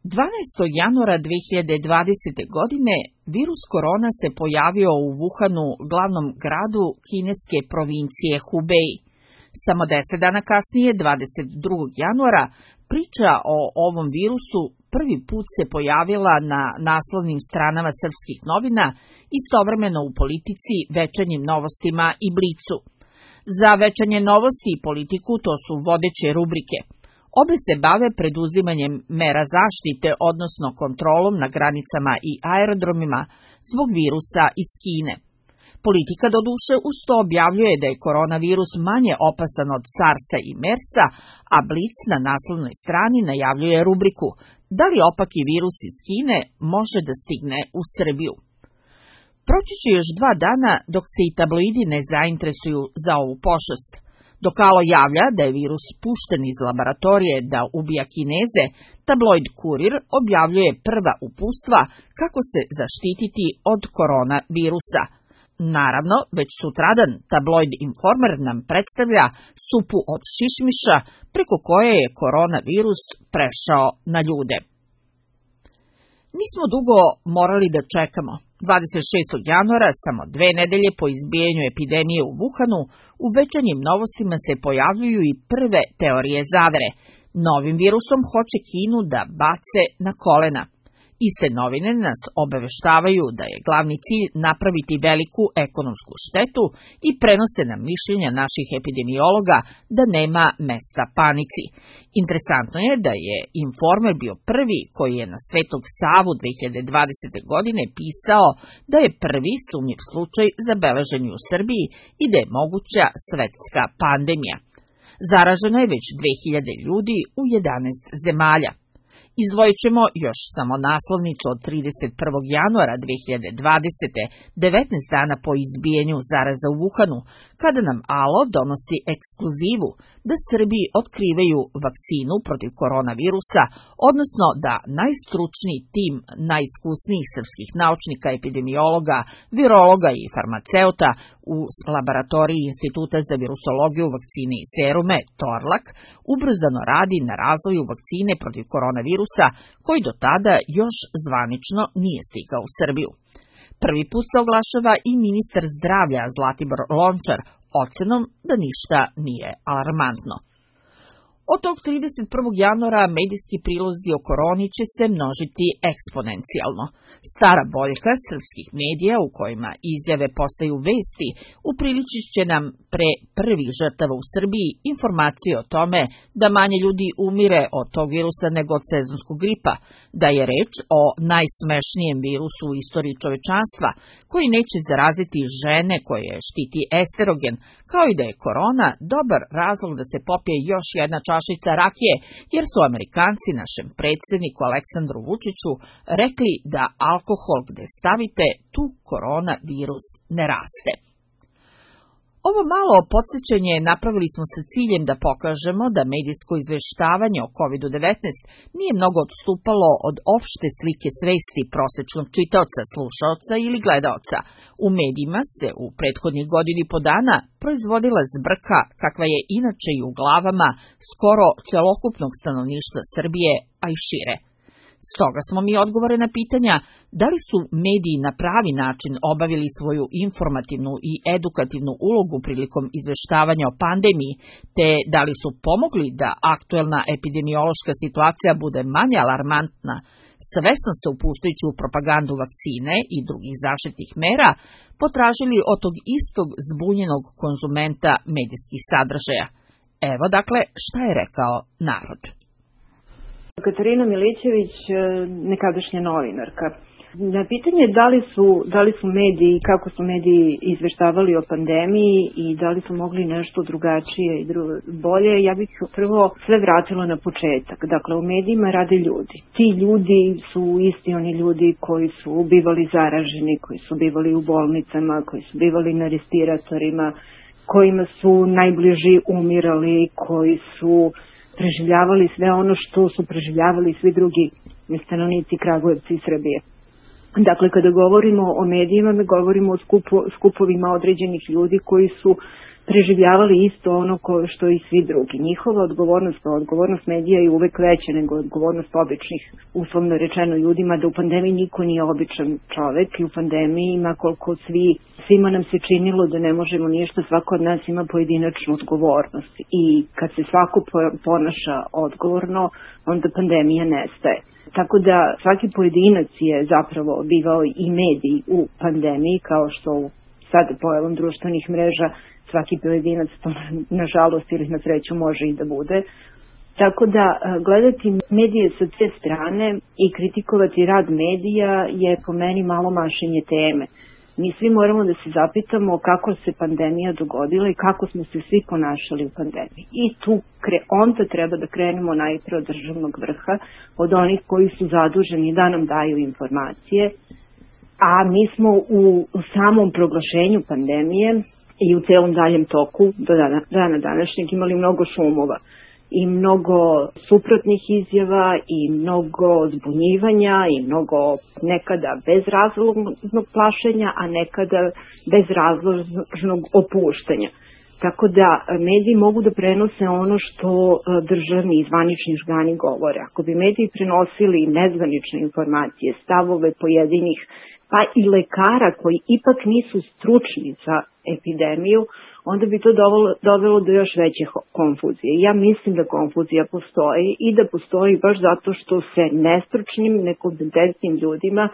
12. januara 2020. godine virus korona se pojavio u Wuhanu, glavnom gradu kineske provincije Hubei. Samo 10 dana kasnije, 22. januara, priča o ovom virusu prvi put se pojavila na naslovnim stranama srpskih novina, istovremeno u Politici, Večernjim novostima i Blicu. Za Večernje novosti i Politiku to su vodeće rubrike. Obe se bave preduzimanjem mera zaštite, odnosno kontrolom na granicama i aerodromima zbog virusa iz Kine. Politika doduše uz to objavljuje da je koronavirus manje opasan od SARS-a i MERS-a, a Blic na naslovnoj strani najavljuje rubriku "Da li opaki virus iz Kine može da stigne u Srbiju?". Proći će još 2 dana dok se i tabloidi ne zainteresuju za ovu pošast. Dok Alo javlja da je virus pušten iz laboratorije da ubija Kineze, tabloid Kurir objavljuje prva uputstva kako se zaštititi od koronavirusa. Naravno, već sutradan tabloid Informer nam predstavlja supu od šišmiša preko koje je koronavirus prešao na ljude. Nismo dugo morali da čekamo. 26. januara, samo 2 nedelje po izbijanju epidemije u Wuhanu, u Večernjim novostima se pojavljuju i prve teorije zavere. Novim virusom hoće Kinu da bace na kolena. Iste novine nas obaveštavaju da je glavni cilj napraviti veliku ekonomsku štetu i prenose nam mišljenja naših epidemiologa da nema mesta panici. Interesantno je da je Informer bio prvi koji je na Svetog Savu 2020. godine pisao da je prvi sumnjiv slučaj zabeležen u Srbiji i da je moguća svetska pandemija. Zaraženo je već 2000 ljudi u 11 zemalja. Izdvojit ćemo još samo naslovnicu od 31. januara 2020. 19 dana po izbijanju zaraza u Wuhanu, kada nam Alo donosi ekskluzivu da Srbi otkrivaju vakcinu protiv koronavirusa, odnosno da najstručniji tim najiskusnijih srpskih naučnika, epidemiologa, virologa i farmaceuta u laboratoriji Instituta za virusologiju, vakcine i serume, Torlak, ubrzano radi na razvoju vakcine protiv koronavirusa, koji do tada još zvanično nije stigao u Srbiju. Prvi put se oglašava i ministar zdravlja Zlatibor Lončar ocenom da ništa nije alarmantno. Od tog 31. januara medijski prilozi o koroni će se množiti eksponencijalno. Stara boljka srpskih medija u kojima izjave postaju vesti upriličit će nam pre prvih žrtava u Srbiji informacije o tome da manje ljudi umire od tog virusa nego od sezonskog gripa, da je reč o najsmešnijem virusu u istoriji čovečanstva, koji neće zaraziti žene koje štiti esterogen, kao i da je korona dobar razlog da se popije još jedna čašica rakije, jer su Amerikanci našem predsjedniku Aleksandru Vučiću rekli da alkohol gde stavite, tu koronavirus ne raste. Ovo malo podsjećanje napravili smo sa ciljem da pokažemo da medijsko izveštavanje o COVID-19 nije mnogo odstupalo od opšte slike svesti prosečnog čitaoca, slušaoca ili gledaoca. U medijima se u prethodnih godini po dana proizvodila zbrka kakva je inače i u glavama skoro celokupnog stanovništva Srbije, a i šire. Stoga smo mi odgovore na pitanja da li su mediji na pravi način obavili svoju informativnu i edukativnu ulogu prilikom izveštavanja o pandemiji, te da li su pomogli da aktuelna epidemiološka situacija bude manje alarmantna, svesno se upuštajući u propagandu vakcine i drugih zaštitnih mera, potražili od tog istog zbunjenog konzumenta medijskih sadržaja. Evo dakle šta je rekao narod. Katarina Milićević, nekadašnja novinarka. Na pitanje da li su mediji, kako su mediji izveštavali o pandemiji i da li su mogli nešto drugačije i bolje, ja bih prvo sve vratila na početak. Dakle, u medijima rade ljudi. Ti ljudi su isti oni ljudi koji su bivali zaraženi, koji su bivali u bolnicama, koji su bivali na respiratorima, kojima su najbliži umirali, koji su preživljavali sve ono što su preživljavali svi drugi stanovnici Kragujevca i Srbije. Dakle, kada govorimo o medijima, mi govorimo o skupovima određenih ljudi koji su preživljavali isto ono što i svi drugi. Njihova odgovornost medija je uvek veća nego odgovornost običnih, uslovno rečeno, ljudima, da u pandemiji niko nije običan čovek i u pandemiji ima koliko svima nam se činilo da ne možemo ništa, svako od nas ima pojedinačnu odgovornost i kad se svako ponaša odgovorno, onda pandemija nestaje. Tako da svaki pojedinac je zapravo bivao i medij u pandemiji, kao što sad pojavom društvenih mreža svaki pojedinac to nažalost ili na sreću može i da bude. Tako da gledati medije sa te strane i kritikovati rad medija je po meni malo mašenje teme. Mi svi moramo da se zapitamo kako se pandemija dogodila i kako smo se svi ponašali u pandemiji. I tu onda treba da krenemo najpre od državnog vrha, od onih koji su zaduženi da nam daju informacije, a mi smo u samom proglašenju pandemije i u celom daljem toku do dana današnjeg imali mnogo šumova i mnogo suprotnih izjava i mnogo zbunjivanja i mnogo nekada bezrazložnog plašenja, a nekada bezrazložnog opuštanja. Tako da mediji mogu da prenose ono što državni i zvanični organi govore. Ako bi mediji prenosili nezvanične informacije, stavove pojedinih pa i lekara koji ipak nisu stručni za epidemiju, onda bi to dovelo do još veće konfuzije. Ja mislim da konfuzija postoji i da postoji baš zato što se nestručnim, nekompetentnim ljudima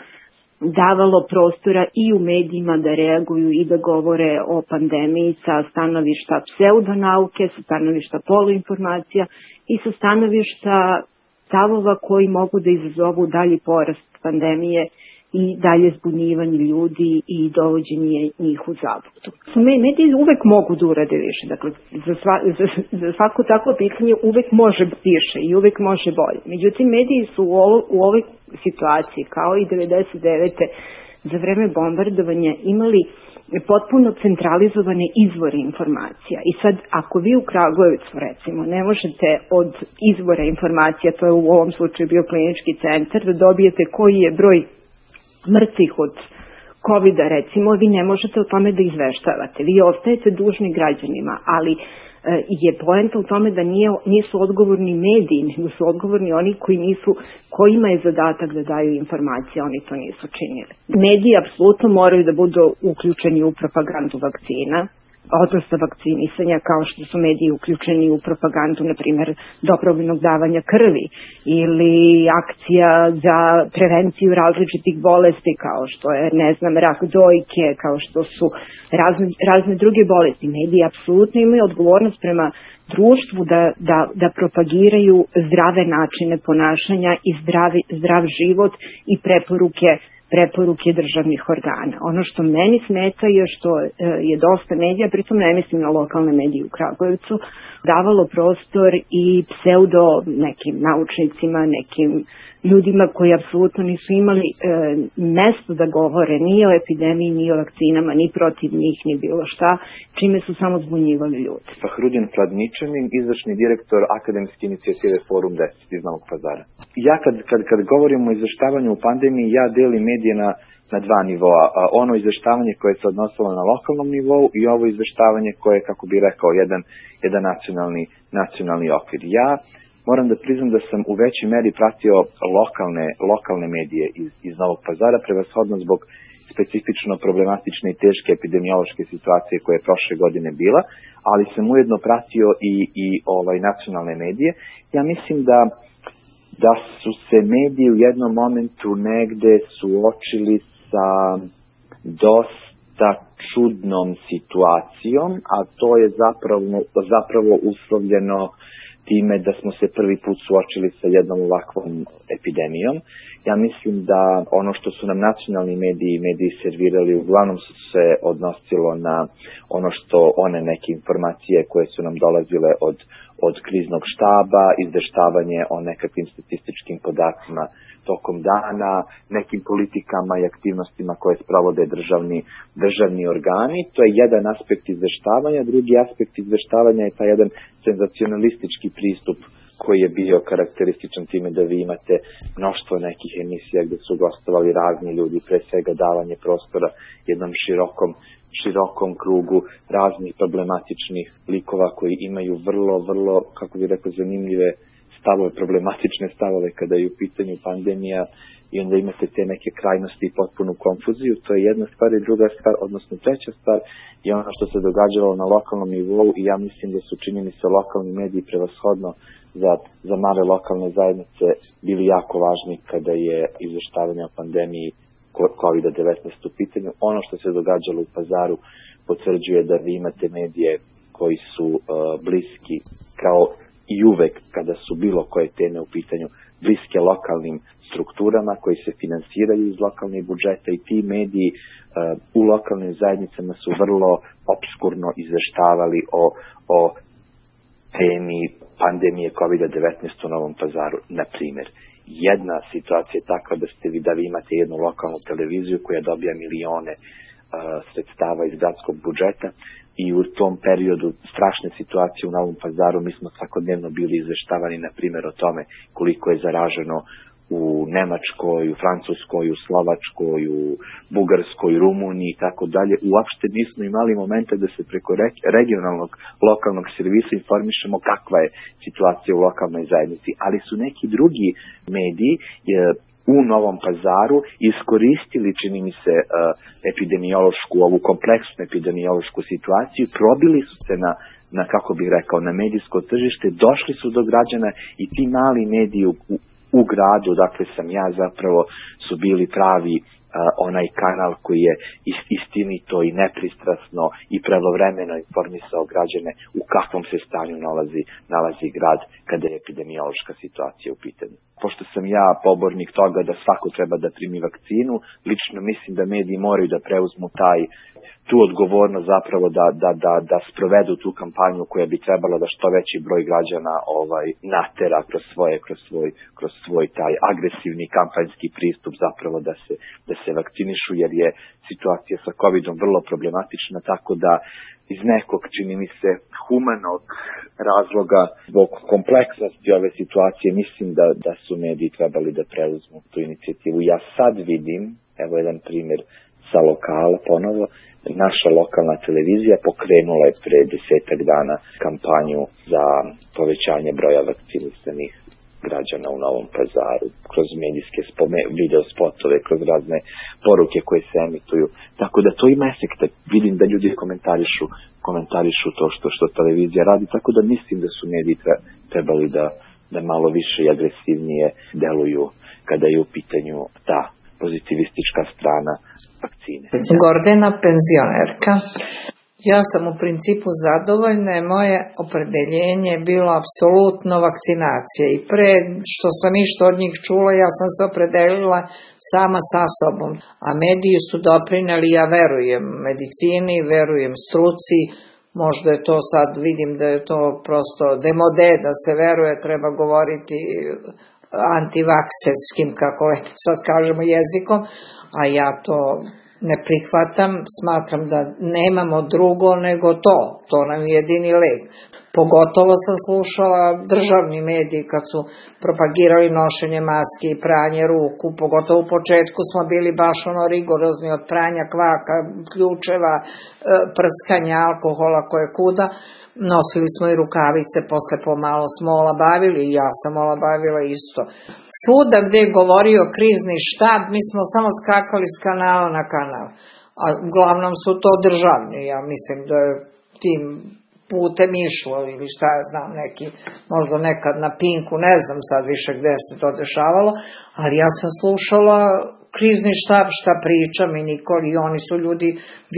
davalo prostora i u medijima da reaguju i da govore o pandemiji sa stanovišta pseudonauke, sa stanovišta poluinformacija i sa stanovišta stavova koji mogu da izazovu dalji porast pandemije i dalje zbunjivanje ljudi i dovođenje njih u zabludu. Mediji uvek mogu da urade više, dakle za svako takvo pitanje uvek može više i uvek može bolje. Međutim, mediji su u ovoj situaciji, kao i 99. za vreme bombardovanja, imali potpuno centralizovane izvore informacija. I sad, ako vi u Kragujevcu, recimo, ne možete od izvora informacija, to je u ovom slučaju bio klinički centar, da dobijete koji je broj mrtvih od COVID-a, recimo, vi ne možete o tome da izveštavate. Vi ostajete dužni građanima, ali je poenta u tome da nisu odgovorni mediji, nego su odgovorni oni kojima je zadatak da daju informacije, oni to nisu činili. Mediji apsolutno moraju da budu uključeni u propagandu vakcina, odnosno vakcinisanja, kao što su mediji uključeni u propagandu, na primjer, dobrovoljnog davanja krvi ili akcija za prevenciju različitih bolesti, kao što je, rak dojke, kao što su razne druge bolesti. Mediji apsolutno imaju odgovornost prema društvu da propagiraju zdrave načine ponašanja i zdrav život i preporuke državnih organa. Ono što meni smeta je što je dosta medija, pritom ne mislim na lokalne medije u Kragujevcu, davalo prostor i pseudo nekim naučnicima, nekim ljudima koji apsolutno nisu imali mesto da govore ni o epidemiji, ni o vakcinama, ni protiv njih, ni bilo šta, čime su samo zbunjivali ljudi. Fahrudin Pladničanin, izvršni direktor akademske inicijative Forum 10 iz Novog Pazara. Ja kad govorimo o izveštavanju u pandemiji, ja delim medije na dva nivoa. Ono izveštavanje koje se odnosilo na lokalnom nivou i ovo izveštavanje koje, kako bi rekao, jedan nacionalni okvir. Ja moram da priznam da sam u većoj meri pratio lokalne medije iz Novog Pazara, prevashodno zbog specifično problematične i teške epidemiološke situacije koja je prošle godine bila, ali sam ujedno pratio i nacionalne medije. Ja mislim da su se mediji u jednom momentu negde suočili sa dosta čudnom situacijom, a to je zapravo uslovljeno time da smo se prvi put suočili sa jednom ovakvom epidemijom. Ja mislim da ono što su nam nacionalni mediji servirali uglavnom su se odnosilo na ono što one neke informacije koje su nam dolazile od kriznog štaba, izveštavanje o nekakvim statističkim podacima tokom dana, nekim politikama i aktivnostima koje sprovode državni organi. To je jedan aspekt izveštavanja. Drugi aspekt izveštavanja je taj jedan senzacionalistički pristup koji je bio karakterističan time da vi imate mnoštvo nekih emisija gde su gostovali razni ljudi, pre svega davanje prostora jednom širokom krugu raznih problematičnih likova koji imaju vrlo, kako bih rekao, zanimljive stavove, problematične stavove kada je u pitanju pandemija, i onda imate te neke krajnosti i potpunu konfuziju. To je jedna stvar, i druga stvar, odnosno treća stvar, je ono što se događalo na lokalnom nivou, i ja mislim da su, čini mi se, lokalni mediji prevashodno za male lokalne zajednice bili jako važni kada je izveštavanje o pandemiji COVID-19 u pitanju. Ono što se događalo u Pazaru potvrđuje da vi imate medije koji su bliski, kao i uvek kada su bilo koje teme u pitanju, bliske lokalnim strukturama koji se finansiraju iz lokalnih budžeta, i ti mediji u lokalnim zajednicama su vrlo opskurno izveštavali o temi pandemije COVID-19 u Novom Pazaru. Na primjer, jedna situacija je takva da vi imate jednu lokalnu televiziju koja dobija milione sredstava iz gradskog budžeta, i u tom periodu strašne situacije u Novom Pazaru mi smo svakodnevno bili izveštavani, na primjer, o tome koliko je zaraženo u Nemačkoj, u Francuskoj, u Slovačkoj, u Bugarskoj, Rumuniji i tako dalje. Uopšte nismo imali momenta da se preko regionalnog lokalnog servisa informišemo kakva je situacija u lokalnoj zajednici, ali su neki drugi mediji u Novom Pazaru iskoristili, čini mi se, epidemiološku, ovu kompleksnu epidemiološku situaciju, probili su se na kako bih rekao, na medijsko tržište, došli su do građana, i ti mali mediji u gradu, dakle sam ja zapravo, su bili pravi onaj kanal koji je istinito i nepristrasno i pravovremeno informisao građane u kakvom se stanju nalazi grad kada je epidemiološka situacija u pitanju. Pošto sam ja pobornik toga da svako treba da primi vakcinu, lično mislim da mediji moraju da preuzmu tu odgovornost zapravo da sprovedu tu kampanju koja bi trebala da što veći broj građana natera kroz svoj taj agresivni kampanjski pristup zapravo da se vakcinišu, jer je situacija sa COVID-om vrlo problematična, tako da iz nekog, čini mi se, humanog razloga, zbog kompleksnosti ove situacije, mislim da su mediji trebali da preuzmu tu inicijativu. Ja sad vidim, evo jedan primjer sa lokala ponovo, naša lokalna televizija pokrenula je pre 10 dana kampanju za povećanje broja vakcinisanih građana u Novom Pazaru, kroz medijske video spotove, kroz razne poruke koje se emituju. Tako da to ima efekta. Vidim da ljudi komentarišu to što televizija radi, tako da mislim da su mediji trebali da malo više i agresivnije deluju kada je u pitanju ta pozitivistička strana vakcine. Gordana, penzionerka. Ja sam u principu zadovoljna, moje opredeljenje je bilo apsolutno vakcinacija, i pre što sam išta od njih čula, ja sam se opredelila sama sa sobom, a mediji su doprineli, ja verujem medicini, verujem struci, možda je to sad, vidim da je to prosto demode, da se veruje, treba govoriti antivakserskim, kako sad kažemo, jezikom, a ja to ne prihvatam, smatram da nemamo drugo nego to nam je jedini lek. Pogotovo sam slušala državni mediji kad su propagirali nošenje maski i pranje ruku, pogotovo u početku smo bili baš rigorozni od pranja kvaka, ključeva, prskanja alkohola koje kuda. Nosili smo i rukavice, posle pomalo smo olabavili, i ja sam olabavila isto. Svuda gde je govorio krizni štab, mi smo samo skakali s kanala na kanal, a uglavnom su to državni, ja mislim da je tim putem išlo, ili šta ja znam, neki, možda nekad na Pinku, ne znam sad više gde se to dešavalo, ali ja sam slušala krizni štab šta priča mi Nikoli, i oni su ljudi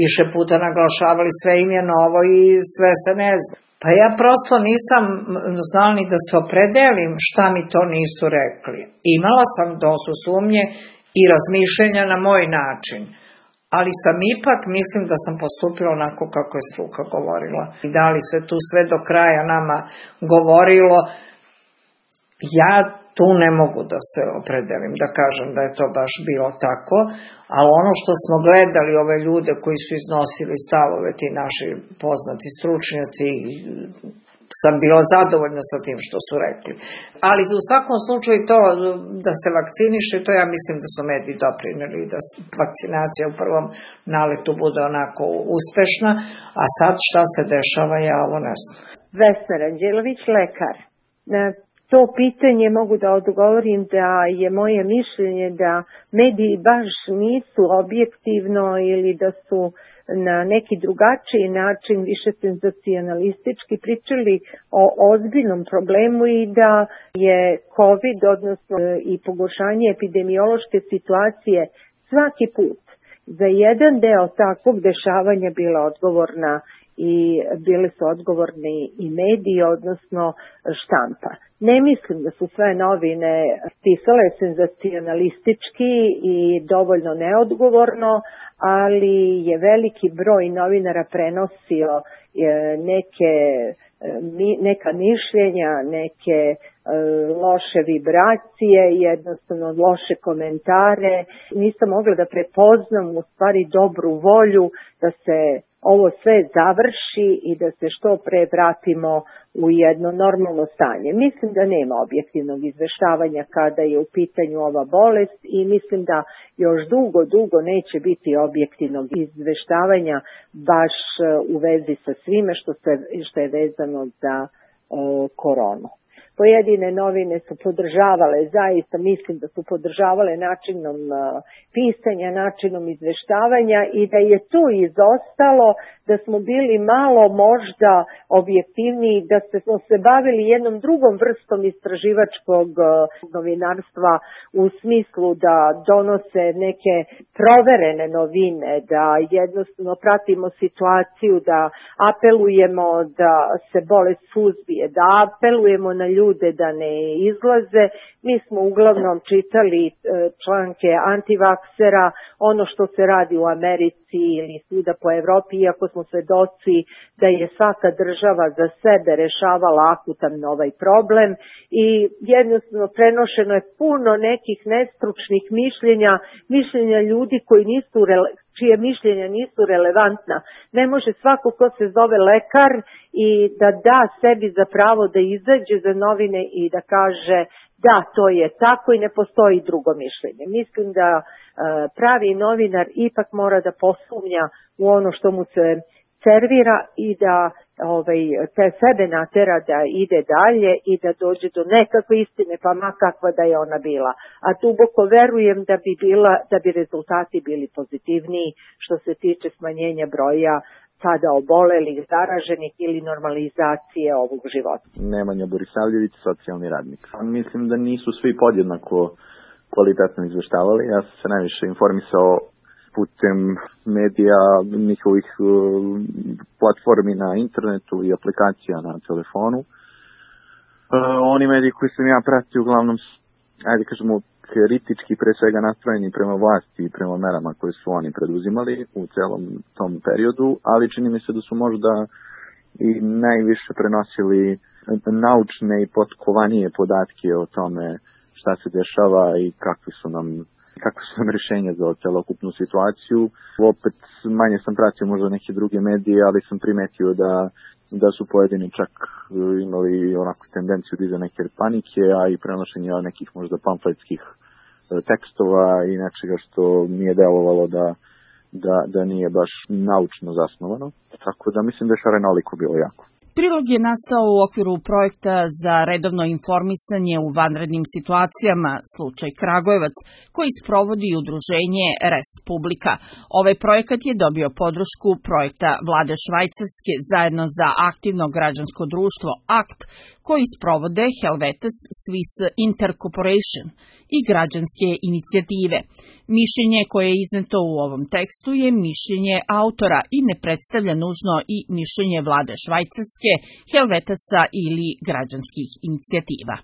više puta naglašavali, sve im je novo i sve se ne zna. Pa ja prosto nisam znala ni da se opredelim šta mi to nisu rekli. Imala sam dosta sumnje i razmišljenja na moj način, ali sam ipak, mislim da sam postupila onako kako je struka govorila. I da li se tu sve do kraja nama govorilo, ja tu ne mogu da se opredelim, da kažem da je to baš bilo tako, ali ono što smo gledali, ove ljude koji su iznosili stavove, ti naši poznati stručnjaci, sam bila zadovoljna sa tim što su rekli. Ali u svakom slučaju to da se vakciniše, to ja mislim da su mediji doprineli da vakcinacija u prvom naletu bude onako uspešna, a sad šta se dešava, ja ovo ne znam. Vesna Ranđelović, lekar. Na to pitanje mogu da odgovorim da je moje mišljenje da mediji baš nisu objektivno ili da su na neki drugačiji način, više senzacionalistički pričali o ozbiljnom problemu i da je COVID, odnosno i pogoršanje epidemiološke situacije svaki put za jedan deo takvog dešavanja bila odgovorna i bili su odgovorni i mediji, odnosno štampa. Ne mislim da su sve novine pisale senzacionalistički i dovoljno neodgovorno, ali je veliki broj novinara prenosio neka mišljenja, neke loše vibracije, jednostavno loše komentare. Nisam mogla da prepoznam u stvari dobru volju da se ovo sve završi i da se što pre vratimo u jedno normalno stanje. Mislim da nema objektivnog izveštavanja kada je u pitanju ova bolest i mislim da još dugo neće biti objektivnog izveštavanja baš u vezi sa svime što je vezano za koronu. Pojedine novine su podržavale, zaista mislim da su podržavale načinom pisanja, načinom izveštavanja i da je tu izostalo da smo bili malo možda objektivniji, da smo se bavili jednom drugom vrstom istraživačkog novinarstva u smislu da donose neke proverene novine, da jednostavno pratimo situaciju, da apelujemo da se bolest suzbije, da apelujemo na ljude da ne izlaze. Mi smo uglavnom čitali članke antivaksera, ono što se radi u Americi ili svuda po Evropi, iako smo svedoci da je svaka država za sebe rešavala akutan ovaj problem i jednostavno prenošeno je puno nekih nestručnih mišljenja ljudi čije mišljenja nisu relevantna. Ne može svako ko se zove lekar i da sebi za pravo da izađe za novine i da kaže da, to je tako i ne postoji drugo mišljenje. Mislim da pravi novinar ipak mora da posumnja u ono što mu se servira i da te sebe natera da ide dalje i da dođe do nekakve istine, pa ma kakva da je ona bila. A duboko verujem da bi rezultati bili pozitivniji što se tiče smanjenja broja sada obolelih, zaraženih ili normalizacije ovog života. Nemanja Borisavljević, socijalni radnik. Mislim da nisu svi podjednako kvalitetno izveštavali. Ja sam se najviše informisao putem medija, njihovih platformi na internetu i aplikacija na telefonu. Oni mediji koji sam ja pratio uglavnom, ajde kažemo, kritički pre svega nastrojeni prema vlasti i prema merama koje su oni preduzimali u celom tom periodu, ali čini mi se da su možda i najviše prenosili naučne i potkovanije podatke o tome šta se dešava i kakve su nam rješenja za celokupnu situaciju. Opet manje sam pratio možda neke druge medije, ali sam primetio da su pojedini čak imali onako tendenciju da iza neke panike, a i prenošenje nekih možda pamfletskih tekstova i nečega što nije delovalo da nije baš naučno zasnovano. Tako da mislim da je šarenoliko bilo jako. Prilog je nastao u okviru projekta za redovno informisanje u vanrednim situacijama, slučaj Kragujevac, koji sprovodi udruženje Rest Publika. Ovaj projekat je dobio podršku projekta Vlade Švajcarske zajedno za aktivno građansko društvo ACT, koji sprovode Helvetes Swiss Intercorporation i građanske inicijative. Mišljenje koje je izneto u ovom tekstu je mišljenje autora i ne predstavlja nužno i mišljenje Vlade Švajcarske, Helvetesa ili građanskih inicijativa.